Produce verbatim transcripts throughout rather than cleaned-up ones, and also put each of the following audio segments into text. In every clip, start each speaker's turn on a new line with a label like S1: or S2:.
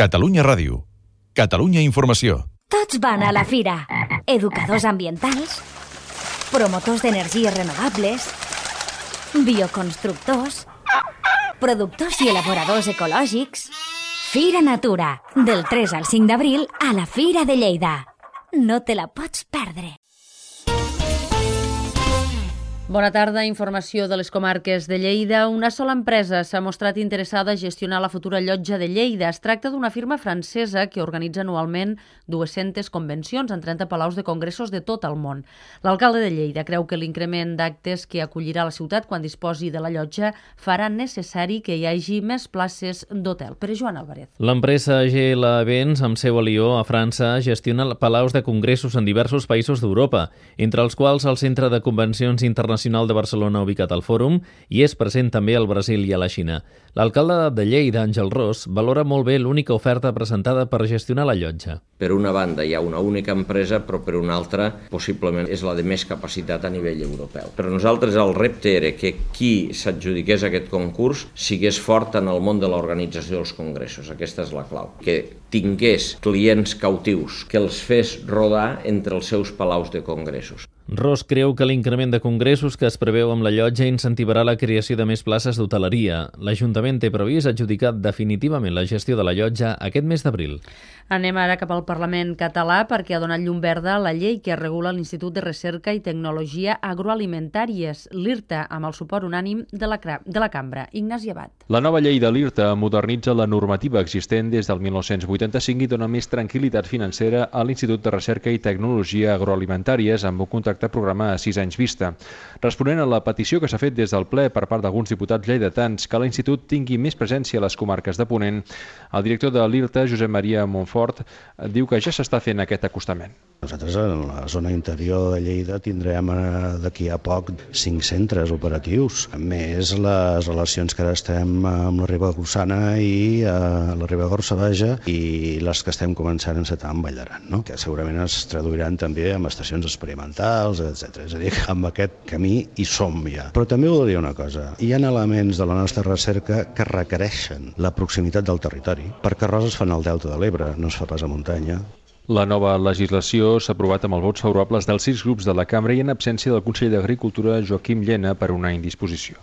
S1: Catalunya Ràdio. Catalunya Informació.
S2: Tots van a la fira. Educadors ambientals, promotors d'energies renovables, bioconstructors, productors i elaboradors ecològics. Fira Natura, del tres al cinc d'abril a la Fira de Lleida. No te la pots perdre.
S3: Bona tarda, informació de les comarques de Lleida. Una sola empresa s'ha mostrat interessada a gestionar la futura llotja de Lleida. Es tracta d'una firma francesa que organitza anualment dues-centes convencions en trenta palaus de congressos de tot el món. L'alcalde de Lleida creu que l'increment d'actes que acollirà la ciutat quan disposi de la llotja farà necessari que hi hagi més places d'hotel. Per Joan Álvarez.
S4: L'empresa G L Events, amb seu a Lió, a França, gestiona palaus de congressos en diversos països d'Europa, entre els quals el Centre de Convencions Internacionals de Barcelona ubicat al Fòrum i és present també al Brasil i a la Xina. L'alcalde de Lleida, Àngel Ros, valora molt bé l'única oferta presentada per gestionar la llotja.
S5: Per una banda hi ha una única empresa, però per una altra possiblement és la de més capacitat a nivell europeu. Per nosaltres el repte era que qui s'adjudiqués aquest concurs sigués fort en el món de l'organització dels congressos. Aquesta és la clau. Que tingués clients cautius, que els fes rodar entre els seus palaus de congressos.
S4: Ros creu que l'increment de congressos que es preveu amb la llotja incentivarà la creació de més places d'hoteleria. L'Ajuntament té previst adjudicar definitivament la gestió de la llotja aquest mes d'abril.
S3: Anem ara cap al Parlament català perquè ha donat llum verda la llei que regula l'Institut de Recerca i Tecnologia Agroalimentàries, l'IRTA, amb el suport unànim de la, de la cambra. Ignasi Abad.
S6: La nova llei de l'IRTA modernitza la normativa existent des del mil nou-cents vuitanta-cinc i dona més tranquil·litat financera a l'Institut de Recerca i Tecnologia Agroalimentàries amb un contracte programa a sis anys vista. Responent a la petició que s'ha fet des del ple per part d'alguns diputats lleidatans que l'Institut tingui més presència a les comarques de Ponent, el director de l'IRTA, Josep Maria Montfort, diu que ja s'està fent aquest acostament.
S7: Nosaltres en la zona interior de Lleida tindrem d'aquí a poc cinc centres operatius, més les relacions que ara estem amb la Ribagorçana i a la Ribagorça i les que estem començant a encetar amb Valldaran, no? Que segurament es traduiran també en estacions experimentals, etcètera. És a dir, que amb aquest camí hi som ja. Però també volia dir una cosa, hi ha elements de la nostra recerca que requereixen la proximitat del territori, perquè res es fan al Delta de l'Ebre, no es fa pas a muntanya.
S6: La nova legislació s'ha aprovat amb els vots favorables dels sis grups de la cambra i en absència del conseller d'Agricultura, Joaquim Llena, per una indisposició.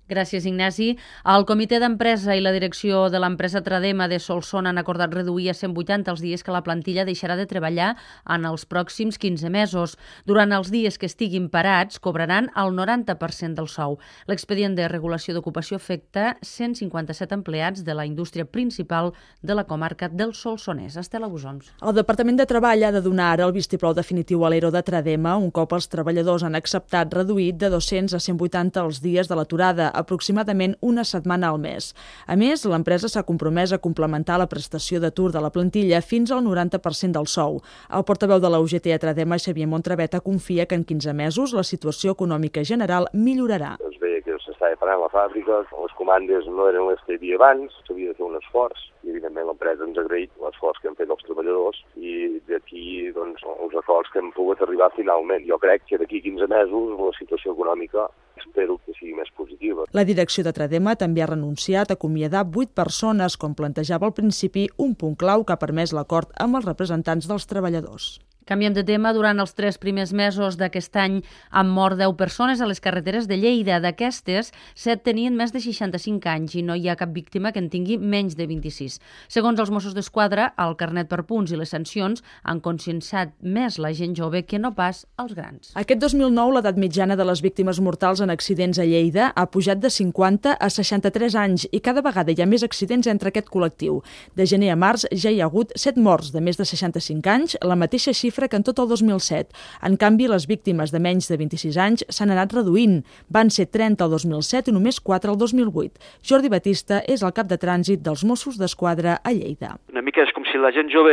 S3: Gràcies, Ignasi. El comitè d'empresa i la direcció de l'empresa Tradema de Solsona han acordat reduir a cent vuitanta els dies que la plantilla deixarà de treballar en els pròxims quinze mesos. Durant els dies que estiguin parats, cobraran el noranta per cent del sou. L'expedient de regulació d'ocupació afecta cent cinquanta-set empleats de la indústria principal de la comarca del Solsonès. Estela Busons.
S8: El Departament de Treball ha de donar ara el vistiplau definitiu a l'E R O de Tradema un cop els treballadors han acceptat reduït de dos-cents a cent vuitanta els dies de l'aturada, aproximadament una setmana al mes. A més, l'empresa s'ha compromès a complementar la prestació d'atur de la plantilla fins al noranta per cent del sou. El portaveu de la U G T a Tradema, Xavier Montraveta, confia que en quinze mesos la situació econòmica general millorarà.
S9: Es veia que s'estava parant la fàbrica, les comandes no eren les que hi havia abans, s'havia de fer un esforç i evidentment l'empresa ens ha agraït l'esforç que han fet els treballadors i d'aquí doncs, els acords que hem pogut arribar finalment. Jo crec que d'aquí quinze mesos la situació econòmica espero que sigui més positiva.
S8: La direcció de Tradema també ha renunciat a acomiadar vuit persones, com plantejava al principi, un punt clau que ha permès l'acord amb els representants dels treballadors.
S3: Canviem de tema. Durant els tres primers mesos d'aquest any han mort deu persones a les carreteres de Lleida. D'aquestes, set tenien més de seixanta-cinc anys i no hi ha cap víctima que en tingui menys de vint-i-sis. Segons els Mossos d'Esquadra, el carnet per punts i les sancions han conscienciat més la gent jove que no pas els grans.
S8: Aquest dos mil nou, l'edat mitjana de les víctimes mortals en accidents a Lleida ha pujat de cinquanta a seixanta-tres anys i cada vegada hi ha més accidents entre aquest col·lectiu. De gener a març ja hi ha hagut set morts de més de seixanta-cinc anys, la mateixa xifra que en tot el dos mil set. En canvi, les víctimes de menys de vint-i-sis anys s'han anat reduint. Van ser trenta el dos mil set i només quatre el dos mil vuit. Jordi Batista és el cap de trànsit dels Mossos d'Esquadra a Lleida.
S10: Una mica és com si la gent jove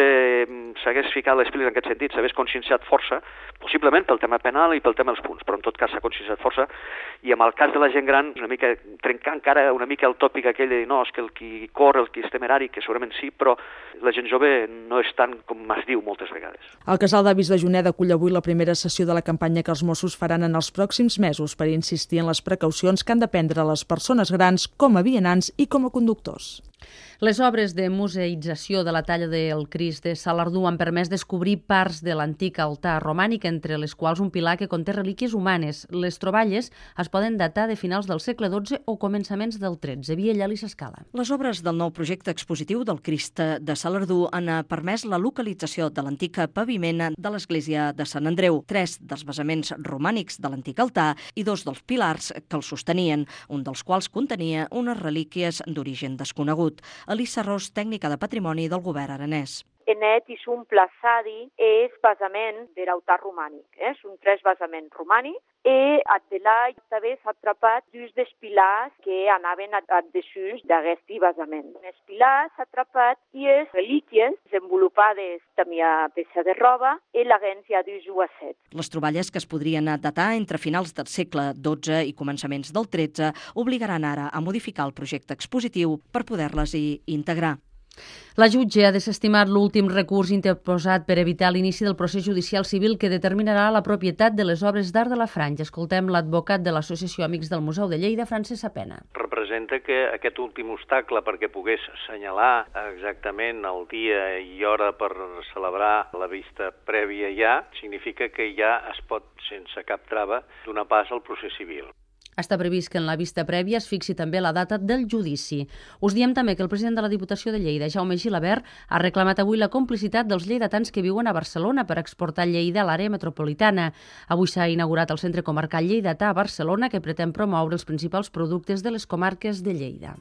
S10: s'hagués ficat les piles en aquest sentit, s'hagués conscienciat força, possiblement pel tema penal i pel tema dels punts, però en tot cas s'ha conscienciat força, i amb el cas de la gent gran, una mica trencar encara una mica el tòpic aquell de dir no, és que el qui corre, el qui és temerari, que segurament sí, però la gent jove no és tant com es diu moltes vegades.
S8: El casal d'avis de Juneda acull avui la primera sessió de la campanya que els Mossos faran en els pròxims mesos per insistir en les precaucions que han de prendre les persones grans com a vianants i com a conductors.
S3: Les obres de museïtzació de la talla del Crist de Salardú han permès descobrir parts de l'antic altar romànic, entre les quals un pilar que conté relíquies humanes. Les troballes es poden datar de finals del segle dotze o començaments del tretze. Via Llali S'Escala.
S11: Les obres del nou projecte expositiu del Crist de Salardú han permès la localització de l'antic paviment de l'església de Sant Andreu, tres dels basaments romànics de l'antic altar i dos dels pilars que el sostenien, un dels quals contenia unes relíquies d'origen desconegut. Elisa Ros, tècnica de patrimoni del govern aranès.
S12: En et és un plaçadi, és basament de l'altar romànic. Eh? Són tres basaments romànics i a delà també s'ha atrapat dos dels pilars que anaven a desús d'aquest basament. Els pilars s'ha atrapat i les relíquies desenvolupades també a peça de roba i l'agència dos u a set.
S11: Les troballes, que es podrien datar entre finals del segle dotze i començaments del tretze, obligaran ara a modificar el projecte expositiu per poder-les-hi integrar.
S3: La jutge ha desestimat l'últim recurs interposat per evitar l'inici del procés judicial civil que determinarà la propietat de les obres d'art de la Franja. Escoltem l'advocat de l'Associació Amics del Museu de Lleida, Francesc Sapena.
S13: Representa que aquest últim obstacle perquè pogués assenyalar exactament el dia i hora per celebrar la vista prèvia ja, significa que ja es pot, sense cap trava, donar pas al procés civil.
S3: Està previst que en la vista prèvia es fixi també la data del judici. Us diem també que el president de la Diputació de Lleida, Jaume Gilabert, ha reclamat avui la complicitat dels lleidatans que viuen a Barcelona per exportar Lleida a l'àrea metropolitana. Avui s'ha inaugurat el Centre Comarcal Lleidatà a Barcelona, que pretén promoure els principals productes de les comarques de Lleida.